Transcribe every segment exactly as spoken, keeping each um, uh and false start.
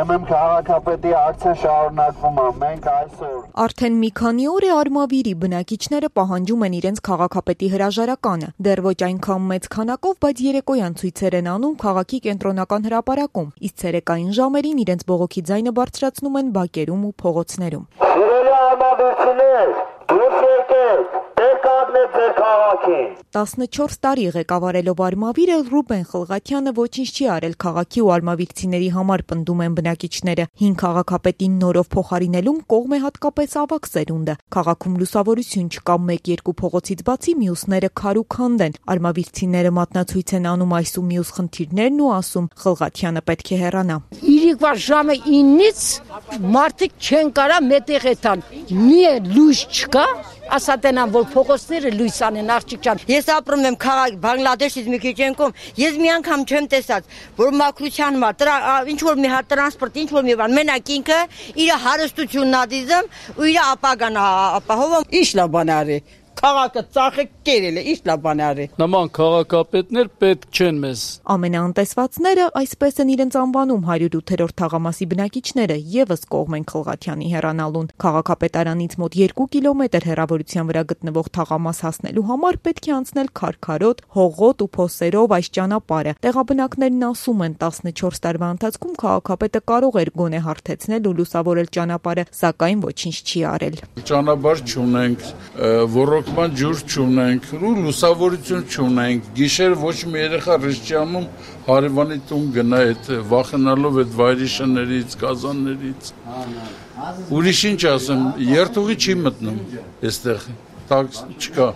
Ուրեմն քաղաքապետի ակցիա շարունակվում է, մենք այսօր։ Արդեն մի քանի օր է Արմավիրի բնակիչները պահանջում են իրենց քաղաքապետի հրաժարականը։ Դեռ ոչ այնքան մեծ քանակով, բայց երեկոյան ցույցեր են անում քաղաքի կենտրոնական հրապարակում, իսկ ցերեկային ժամերին իրենց բողոքի ձայնը բարձրացնում են բակերում ու փողոցներում։ Սիրելի արմավիրցիներ, դուք եկեք, եկեք ձեր քաղաքին։ տասնչորս տարի ղեկավարելով Արմավիրը Ռուբեն Խլղաթյանը ոչինչ չի արել քաղաքի ու արմավիրցիների համար, պնդում են բնակիչները։ Հին քաղաքապետին նորով փոխարինելուն կողմ է հատկապես ավագ սերունդը։ Քաղաքում լուսավորություն չկա, մեկ-երկու փողոցից բացի մյուսները քար ու քանդ են։ Արմավիրցիները մատնացույց են անում այս ու մյուս խնդիրներն ու ասում Խլղաթյանը պետք է հեռանա։ Իրիկվա ժամը ինից մարդիկ չեն կարա մետեղ էտան։ Մի լույս չկա, ասատենան, որ փողոցները լույս անեն, աղջիկ ջան։ Ես ապրում եմ քաղաք Բանգլադեշից մի քիչ ենկում, ես մի անգամ չեմ տեսած, որ մաքրության համար, ինչ որ մի հատ տրանսպորտ, ինչ որ մի բան, մենակ ինքը իր հարստությունն ա դիզում ու իր ապագան ապահովում։ Ինչ լավ բան արի։ Քաղաքը ծախը կերել է, ինչ լավ բան արի։ Նման քաղաքապետներ պետք չեն մեզ։ Ամենաանտեսվածները այսպես են իրենց անվանում հարյուրութերորդ թաղամասի բնակիչները եւս կողմ են Խլղաթյանի հեռանալուն։ Քաղաքապետարանից մոտ երկու կիլոմետր հեռավորության վրա գտնվող թաղամաս հասնելու համար պետք է անցնել քարքարոտ, հողոտ ու փոսերով այս ճանապարհը։ Տեղաբնակներն ասում են տասնչորս տարվա ընթացքում քաղաքապետը կարող էր գոնե հարթեցնել ու լուսավորել ճանապարհը, սակայն ոչինչ չի արել։ Ճանապարհ չունենք, ոռոգման ջուր չունենք, ու լուսավորություն չունենք։ Գիշեր ոչ մի երեխա ռեստորանում հարևանի տուն գնա այդ վախենալով այդ վայրիշներից, կազաններից։ Ուրիշ ինչ ասեմ, երթուղի չի մտնում այստեղ, տաքս չկա։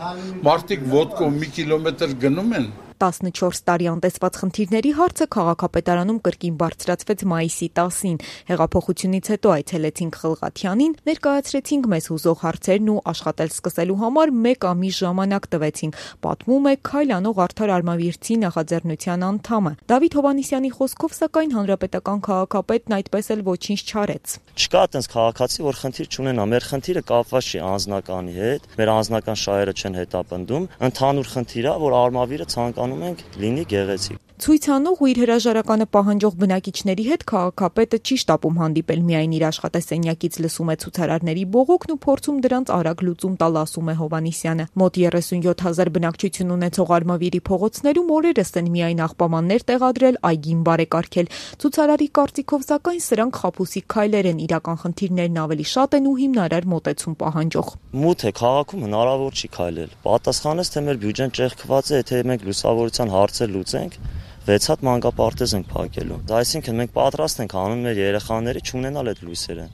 Մարդիկ ոդկով մի կիլոմետր գնում են։ տասնչորս տարի անտեսված խնդիրների հարցը քաղաքապետարանում կրկին բարձրացվեց մայիսի տասին։ Հեղափոխությունից հետո այցելեցինք Խլղաթյանին, ներկայացրեցինք մեզ հուզող հարցերն ու աշխատել սկսելու համար մեկ ամիս ժամանակ տվեցինք, պատմում է Քայլ անող Արդար Արմավիրցի նախաձեռնության անդամը։ Դավիթ Հովհաննիսյանի խոսքով, սակայն հանրապետական քաղաքապետն այդպես էլ ոչինչ չարեց։ Չկա այտենց քաղաքացի, որ խնդիր չունենա, մեր խնդիրը կապված չի անձնականի հետ, մեր անձնական շահերը չեն հետապնդում, ընդհանուր խնդիր է, որ Արմավիրը ցանկանում ենք լինի գեղեցիկ։ Ցույցանող ու իր հրաժարականը պահանջող բնակիչների հետ քաղաքապետը չի շտապում հանդիպել, միայն իր աշխատասենյակից լսում է ցուցարարների բողոքն ու փորձում դրանց արագ լուծում տալ, ասում է Հովհաննիսյանը։ Մոտ երեսունյոթ հազար բնակչություն ունեցող Արմավիրի փողոցներում օրերս են միայն աղբամաններ տեղադրել, այգին բարեկարգել։ Ցուցարարի կարծիքով, սակայն սրանք խաբուսիկ քայլեր են, իրական խնդիրներն ավելի շատ են ու հիմնարար մոտեցում պահանջող։ Մութ է, քաղաքում հնարավոր չի քայլել։ Պատասխանես, թե մեր բյուջեն ճեղքված է, եթե մենք լուսավորության հարցեր լուծենք, վեց հատ մանկապարտեզ ենք փակելու։ Այսինքն մենք պատրաստ ենք անում մեր երեխաների չունենալ այդ լույսերը,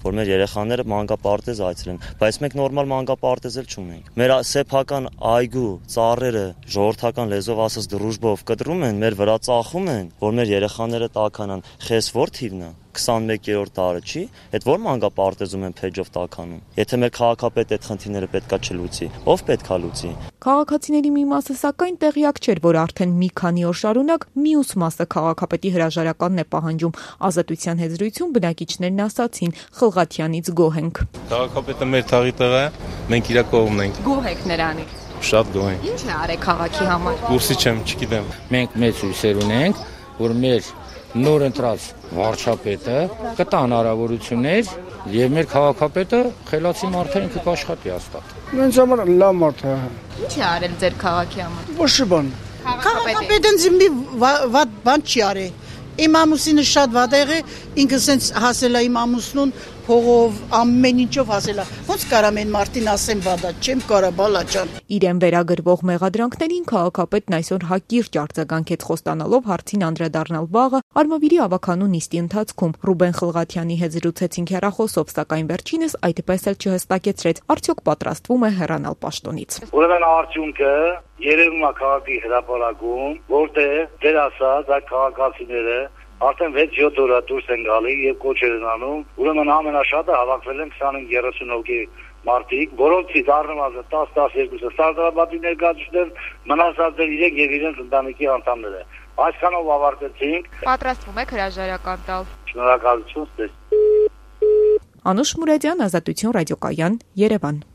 որ մեր երեխաները մանկապարտեզ այցելեն, բայց մենք նորմալ մանկապարտեզ էլ չունենք։ Մեր սեփական այգու ծառերը ժողովրդական լեզվով ասած դրուժբով կտրում են, մեր վրա ծախում են, որ մեր երեխաները տաքանան։ Խես որ թիվն է քսանմեկերորդ դարը չի, այդ որ մանկապարտեզում են փեջով տաքանում։ Եթե մեր քաղաքապետը այդ խնդիրները պետքա չլուծի, ով պետքա լուծի։ Քաղաքացիների մի մասը սակայն տեղյակ չէր, որ արդեն մի քանի օր շարունակ մյուս մասը քաղաքապետի հրաժարականն է պահանջում։ Ազատության հետ զրույցում բնակիչներն ասացին Խլղաթյանից գոհ ենք։ Քաղաքապետը մեր թաղի տղա է, մենք իր կողմն ենք։ Գոհ եք նրանից։ Շատ գոհ ենք։ Ինչ է արել քաղաքի համար։ Կուրսի չեմ, չգիտեմ։ Մենք մեծ հույսեր ունենք, որ մեր նոր ընտրած վարչապետը կտա հնարավորություններ եւ մեր քաղաքապետը խելացի մարդ է, ինքը կաշխատի հաստատ։ Մենք համար լավ մարդ է։ Ինչ է արել ձեր քաղաքի համար։ Ոչ բան։ Քաղաքապետն զիմի վատ բան չի արել։ Իմ ամուսինը շատ վատ է եղել, ինքը սենց հասել է իմ ամուսնուն փողով ամեն ինչով հասել է։ Ոնց կարամ են մարդին ասեմ վադա, չեմ կարա բալա ջան։ Իրեն վերագրվող մեղադրանքներին քաղաքապետն այսօր հակիրճ արձագանքեց, խոստանալով հարցին անդրադառնալ վաղը Արմավիրի ավականու նիստի ընթացքում։ Ռուբեն Խլղաթյանի հետ զրուցեցինք հեռախոսով, սակայն վերջինս այդպես էլ չհստակեցրեց, արդյոք պատրաստվում է հեռանալ պաշտոնից։ Ուրեմն արդյունքը երևում է քաղաքի հրապարակում, որտեղ դեր ասած այդ քաղաքացիները արդեն վեց-յոթ օր դուրս են գալի եւ կոչեր են անում։ Ուրեմն ամենաշատը հավաքվել են քսանհինգ երեսուն հոգի մարդիկ, որոնցից առնվազն տասը տասներկուսը սարդարապետի ներկայացուցիչներ, մնացածը իրենք եւ իրենց ընտանիքի անդամները։ Այսքանով ավարտեցինք։ Պատրաստվում եք հրաժարական տալ։ Շնորհակալություն։ Անուշ Մուրադյան, Ազատություն ռադիոկայան, Երևան։